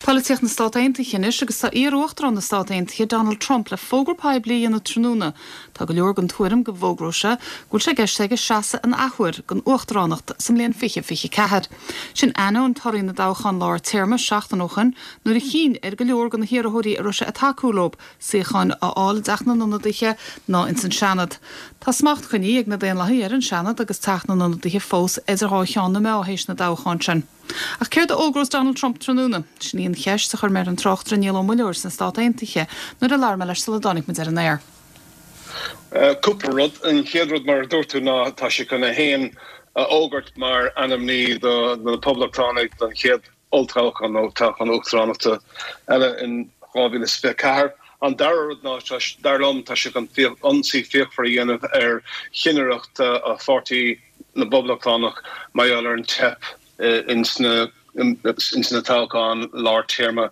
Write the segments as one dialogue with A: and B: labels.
A: Polaitíocht na Stát Aontaithe anois agus tá iar-uachtarán na Stát Aontaithe, Donald Trump, le fógra poiblí a dhéanamh tráthnóna. Tá go leor den tuairim go bhfógróidh sé go bhfuil sé i gceist aige seasamh an athuair don uachtaránacht sa mbliain 2024. Sin ainneoin torthaí na dtoghchán lár téarma seachtain ó shoin nuair a chinn ar go leor de na hiarrthóirí a raibh sé ag tacú leo suíocháin a fháil i dTeach na nIonadaithe ná ins an Seanad. Tá smacht coinnithe ag na Daonlathaigh ar an Seanad agus Teach na nIonadaithe fós idir dhá cheann na meá théis na dtoghchán sin. Ach céard a fhógrós Donald Trump tráthnóna? Sin í an cheist a chuir mé ar an tráchtaire Niall Ó Muilleoir sna Stát Aontaithe nuair a labhair mé leis sula dtáinig muid ar an aer.
B: Cúpla rud. An chéad rud, mar a dúirt tú, ná tá sé chun é féin a fhógairt mar ainmní do na Poblachtánaigh don chéad olltoghchán nó toghchán uachtaránachta eile in 2024. An dara rud ná, dar liom, tá sé chun ionsaí fíochmhar a dhéanamh ar chinnireacht pháirtí na bPoblachtánach mar gheall ar an teip ins na ins na toghcháin lár téarma.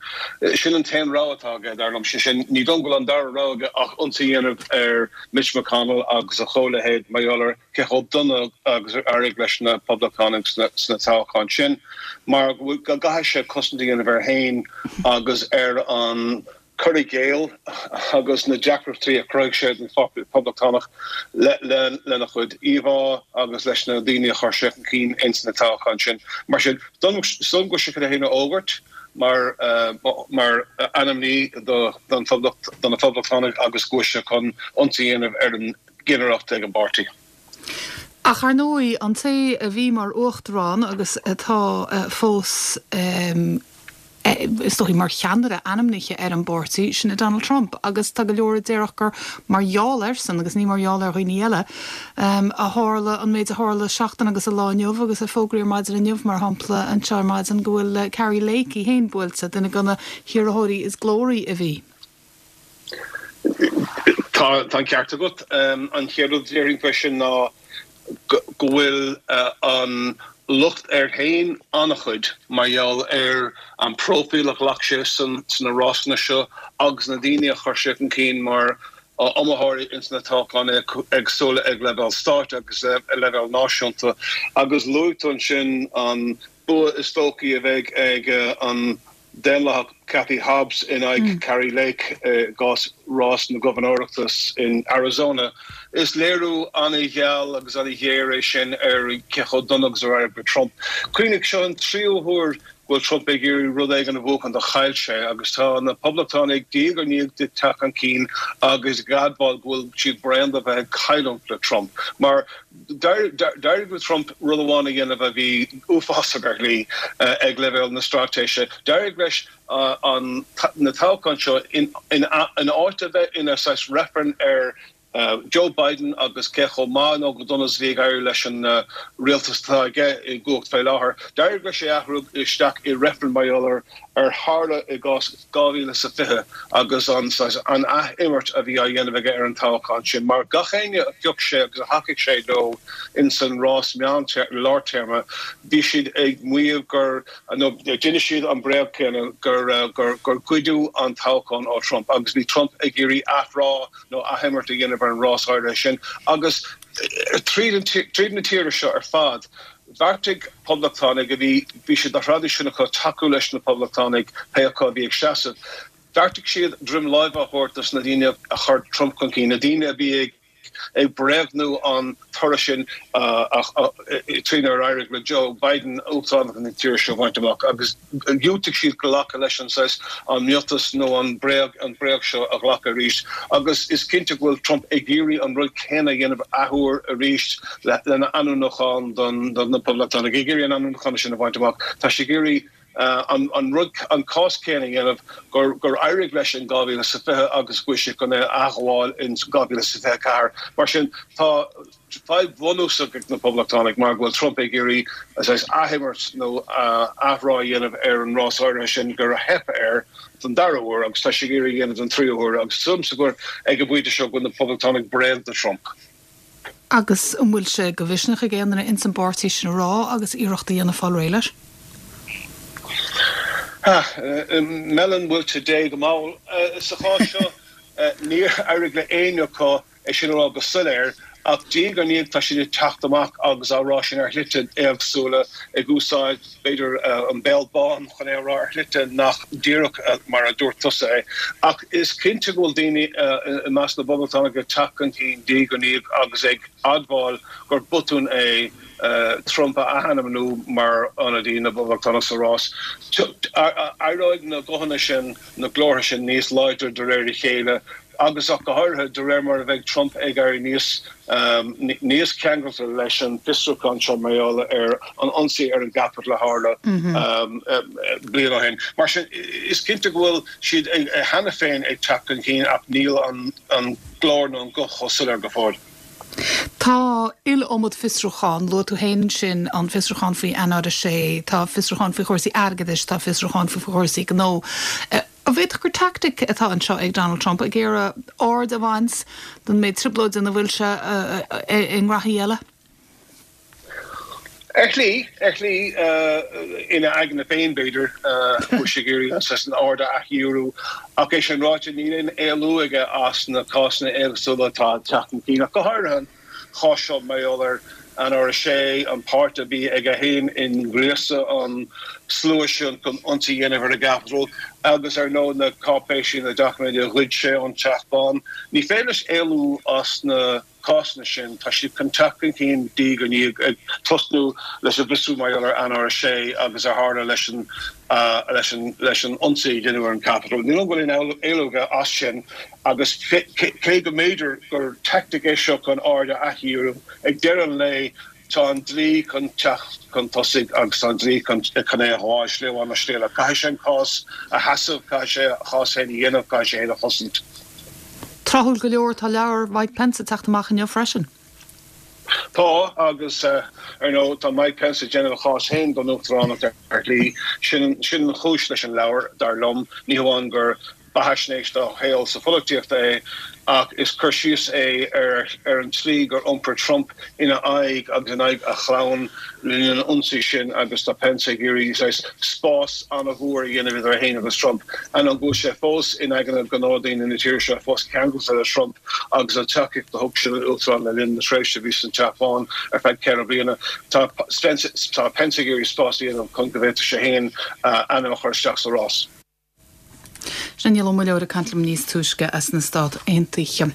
B: Sin an t-aon rogha atá aige, dar liom. Sé sin, ní dóigh liom go bhfuil an dara rogha aige ach ionsaí a dhéanamh ar Mitch McConnell agus a chomhleithéid mar gheall ar cé chomh dona agus a d'éirigh leis na Poblachtánaigh sna toghcháin sin, mar go gcaithfidh sé cosaint a dhéanamh air féin agus ar an cur i gcéill agus na deacrachtaí a chruthaigh sé don Pháirtí Poblachtánach lena chuid íomhá agus leis na daoine a chuir sé chun cinn ins na toghcháin sin. Mar sin, is dóigh liom go bhfuil sé chun é féin a fhógairt mar mar ainmní do don Phoblacht do na Poblachtánaigh agus go bhfuil sé chun ionsaí a dhéanamh ar an gcinnireacht ag an bpáirtí.
A: Ach ar ndóigh, an té a bhí mar uachtarán agus atá fós, is dóichí, mar cheannaire ainmnithe ar an bpáirtí, sin é Donald Trump. Agus tá go leor a déarfadh gur mar gheall airsean, agus ní mar gheall ar dhaoine eile, a tharla an méid a tharla seachtain agus an lá inniu agus a fógraíodh ar maidin inniu, mar shampla, anseo ar maidin go bhfuil Kari Lake í féin buailte, duine de na hiarrthóirí is glóraí a bhí.
B: Tá an ceart agat. An chéad rud a déarfainn faoi sin ná go bhfuil an locht air féin an-chuid mar gheall ar an bpróifíl a ghlac sé sna rásanna seo agus na daoine a chuir sé chun cinn mar iomaitheoirí ins na toghcháin éagsúla ag leibhéal stáit agus ag leibhéal náisiúnta. Agus luaigh tú ansin an bua is dóichí a bheidh ag an Daonlathach Katie Hobbs in aghaidh Kari Lake i gcás rás na gobharnóireachta in Arizona. Is léiriú an-gheal agus an-ghéar é sin ar cé chomh dona agus a d'éirigh le Trump. Cuimhnigh, seo an tríú huair go bhfuil Trump ag iarraidh rud éigin a bhuachan do chaill sé agus tá na Poblachtánaigh diaidh ar ndiaidh ag teacht chun cinn agus ag admháil go bhfuil siad bréan de bheith ag cailliúint le Trump mar D'éirigh le Trump rud amháin a dhéanamh a bhí uafásach ar shlí ag leibhéal na straitéise. D'éirigh leis an na toghcháin seo in áit a bheith ina saghas reifreann ar Joe Biden agus cé chomh maith nó go dona is a bhí ag éirí leis an rialtas atá aige i gcumhacht fé láthair. D'éirigh leis é a athrú isteach i reifreann mar gheall ar ar tharla i gcás 2020 agus an saghas, an ath-imirt a bhí á dhéanamh aige ar an toghchán sin, mar gach éinne a phioc sé agus a thacaigh sé leo ins an rás meán, lártéarma, bhí siad ag maíomh gur, nó d'inis siad an bréag céanna, gur, gur, gur goideadh an toghchán ó Trump agus bhí Trump ag iarraidh athrá nó athimirt a dhéanamh ar an rás áirithe sin agus tríd an, tríd na tíre seo ar fad. Bheartaigh Poblachtánaigh a bhí, bhí sé de thraidisiún acu tacú leis na Poblachtánaigh, pé acu a bhí ag seasamh. Bheartaigh siad droim láimhe a thabhairt dos na daoine a chuir Trump chun cinn, na daoine a bhí ag ag bréagnú an toradh sin trínar éirigh le Joe Biden uachtaránacht na tíre seo a bhaint amach agus dhiúltaigh siad glacadh leis an saghas, an miotas nó an bréag, an bhréag seo a ghlacadh arís agus is cinnte go bhfuil Trump ag iarraidh an rud céanna a dhéanamh athuair arís lena ainmniúchán do na Poblachtánaigh, ag iarraidh an ainmniúchán sin a bhaint amach. Tá sé ag iarraidh an rud, an cás céanna a dhéanamh gur gur éirigh leis in 2020 agus go bhfuil sé chun é a athghabháil in 2024. Mar sin, tá fadhb bhunúsach ag na Poblachtánaigh mar go bhfuil Trump ag iarraidh saghas athimirt nó athrá a dhéanamh ar an rás áirithe sin gur theip air don dara huair agus tá sé ag iarraidh a dhéanamh don tríú huair agus is dóigh liomsa gur ag an bpointe seo go bhfuil na Poblachtánaigh bréan de Trump.
A: Agus an bhfuil sé de mhisneach ag aon duine ins an bpáirtí sin a rá agus iarracht a dhéanamh fáil réidh leis?
B: Meileann muilte Dé go mall. Sa chás seo, níor éirigh le éinne acu é sin a rá go soiléir. Ach diaidh ar ndiaidh tá siad ag teacht amach agus á rá sin ar shlite éagsúla, ag úsáid, b'fhéidir, an béal bán chun é a rá ar shlite nach díreach mar a dúirt tusa é. Ach is cinnte go bhfuil daoine i measc na bPoblachtánach ag teacht chun cinn diaidh ar ndiaidh agus ag admháil gur botún é Trump a athainmniú mar ionadaí na bPoblachtánach sa rás. Éireoidh na guthanna sin, na glórtha sin níos láidre de réir a chéile agus ach go háirithe de réir mar a bheidh Trump ag éirí níos níos ceangailte leis an bhfiosrúchán seo mar gheall ar an ionsaí ar an gCapitol a tharla bliain ó shin. Mar sin, is cinnte go bhfuil siad cheana féin ag teacht chun cinn ach níl an glór nó an guth chomh soiléir go fóill.
A: Tá iliomad fiosrúchán, luaigh tú féin ansin an fiosrúchán faoi Eanáir 6, tá fiosrúchán faoi chúrsaí airgeadais, tá fiosrúchán faoi chúrsaí gnó. An bhféadfadh gur teaictic atá anseo ag Donald Trump ag iarraidh aird a bhaint den méid trioblóide ina bhfuil sé i ngraithí eile?
B: Ar shlí, ar shlí, ina aigne féin, b'fhéidir, bhfuil sé ag iarraidh an saghas an aird a athdhíriú. Ach é sin ráite, níl aon éalú aige as na cásanna éagsúla atá ag teacht chun cinn, ach go háirithe an chás seo mar gheall ar Eanáir 6, an páirt a bhí aige féin i ngríosadh an slua sin chun ionsaí a dhéanamh ar an gCapitol agus, ar ndóigh, na cáipéisí, na doiciméid a ghoid sé ón Teach Bán. Ní féidir leis éalú as na. cásanna sin, tá siad chun teacht chun cinn diaidh ar ndiaidh, ag tosnú leis an bhfiosrú mar gheall ar Eanáir 6 agus a tharla leis an leis an leis an ionsaí a deineadh ar an Capitol. Ní dóigh liom go bhfuil aon éalú aige as sin agus cé go mb'fhéidir gur teaictic é seo chun aird a athdhíriú, ag deireadh an lae tá an dlí chun teacht chun tosaigh agus tá an dlí chun chun é a ghabháil slí amháin nó slí eile. Caithfidh sé an cás a sheasamh, caithfidh sé a chás féin a dhéanamh, caithfidh sé é féin a chosaint.
A: Tráthúil go leor, tá leabhar Mike Pence ag teacht amach inniu freisin.
B: Tá, agus ar ndóigh tá Mike Pence ag déanamh a chás féin don uachtaránacht ar shlí. Sin sin an chúis leis an leabhar, dar liom. Ní hamháin gur beathaisnéis dá shaol sa pholaitíocht é, ach is cur síos é ar ar an tslí gur iompair Trump ina aghaidh agus in aghaidh a chlann le linn an ionsaí sin agus tá Pence ag iarraidh saghas spás an-mhór a dhéanamh idir é féin agus Trump. Ainneoin go bhfuil sé fós in aigne go leor daoine na tíre seo, fós ceangailte le Trump agus an tacaíocht a thug sé don Uachtarán le linn na tréimhse a bhí san Teach Bán ar feadh 4 bliana, tá tá Pence ag iarraidh spás a dhéanamh chun go bhféadfadh sé féin a ainm a chur isteach sa rás.
A: Sin Niall Ó Muilleoir ag caint liom níos túisce as na Stát Aontaithe.